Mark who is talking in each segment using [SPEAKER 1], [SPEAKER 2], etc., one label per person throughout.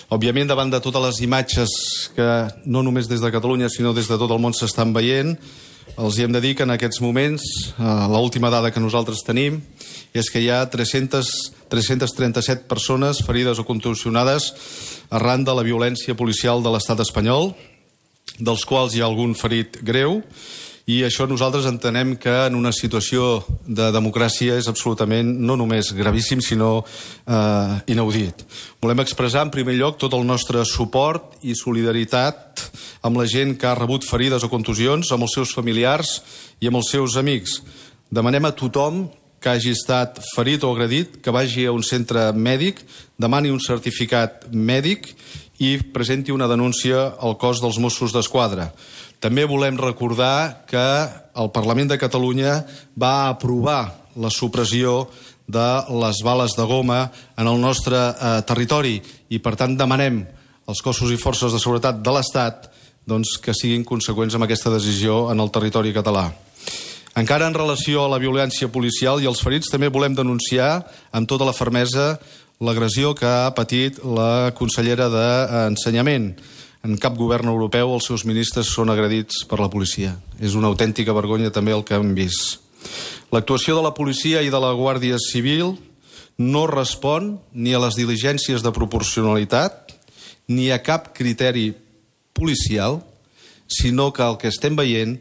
[SPEAKER 1] Òbviament, davant de totes les imatges que no només des de Catalunya, sinó des de tot el món s'estan veient, els hem de dir que en aquests moments, l'última dada que nosaltres tenim, és que hi ha 337 persones ferides o contusionades arran de la violència policial de l'estat espanyol, dels quals hi ha algun ferit greu, i això nosaltres entenem que en una situació de democràcia és absolutament no només gravíssim, sinó inaudit. Volem expressar en primer lloc tot el nostre suport i solidaritat amb la gent que ha rebut ferides o contusions, amb els seus familiars i amb els seus amics. Demanem a tothom que hagi estat ferit o agredit que vagi a un centre mèdic, demani un certificat mèdic i presenti una denúncia al cos dels Mossos d'Esquadra. També volem recordar que el Parlament de Catalunya va aprovar la supressió de les bales de goma en el nostre territori i, per tant, demanem als cossos i forces de seguretat de l'Estat que siguin conseqüents amb aquesta decisió en el territori català. Encara en relació a la violència policial i els ferits, també volem denunciar amb tota la fermesa l'agressió que ha patit la consellera d'Ensenyament. En cap govern europeu els seus ministres són agredits per la policia. És una autèntica vergonya també el que hem vist. L'actuació de la policia i de la Guàrdia Civil no respon ni a les diligències de proporcionalitat ni a cap criteri policial, sinó que el que estem veient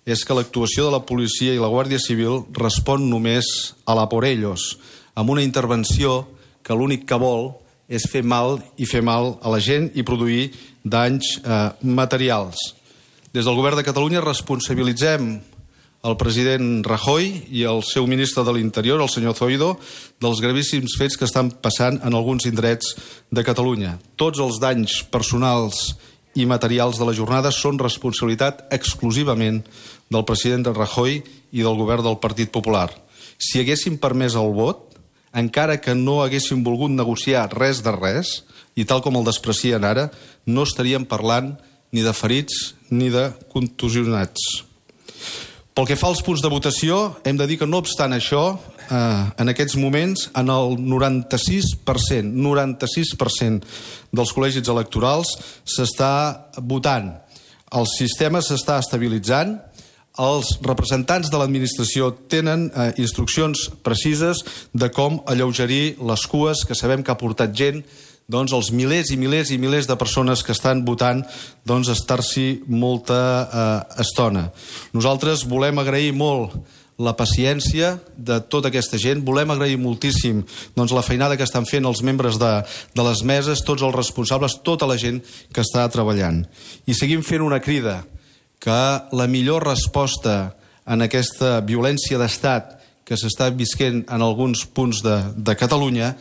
[SPEAKER 1] és que l'actuació de la policia i la Guàrdia Civil respon només a la por ellos, amb una intervenció que l'únic que vol és fer mal a la gent i produir danys materials. Des del govern de Catalunya responsabilitzem el president Rajoy i el seu ministre de l'Interior, el senyor Zoido, dels gravíssims fets que estan passant en alguns indrets de Catalunya. Tots els danys personals i materials de la jornada són responsabilitat exclusivament del president Rajoy i del govern del Partit Popular. Si haguéssim permès el vot, encara que no haguéssim volgut negociar res de res, i tal com el desprecien ara, no estaríem parlant ni de ferits ni de contusionats. Pel que fa als punts de votació, hem de dir que no obstant això, en aquests moments, en el 96% dels col·legis electorals s'està votant. El sistema s'està estabilitzant. Els representants de l'administració tenen instruccions precises de com alleugerir les cues que sabem que ha portat gent, els milers i milers i milers de persones que estan votant, estar-s'hi molta estona. Nosaltres volem agrair molt la paciència de tota aquesta gent, volem agrair moltíssim la feinada que estan fent els membres de les meses, tots els responsables, tota la gent que està treballant. I seguim fent una crida que la millor resposta en aquesta violència d'estat que s'està visquent en alguns punts de Catalunya,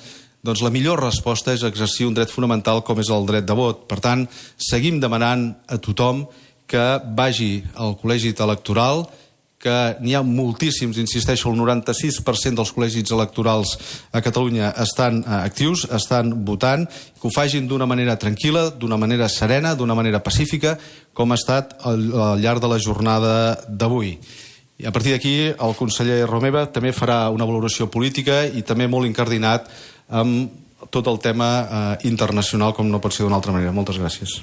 [SPEAKER 1] la millor resposta és exercir un dret fonamental com és el dret de vot. Per tant, seguim demanant a tothom que vagi al col·legi electoral, que n'hi ha moltíssims, insisteixo, el 96% dels col·legis electorals a Catalunya estan actius, estan votant, que ho facin d'una manera tranquil·la, d'una manera serena, d'una manera pacífica, com ha estat al llarg de la jornada d'avui. I a partir d'aquí el conseller Romeva també farà una valoració política i també molt incardinat amb tot el tema internacional, com no pot ser d'una altra manera. Moltes gràcies.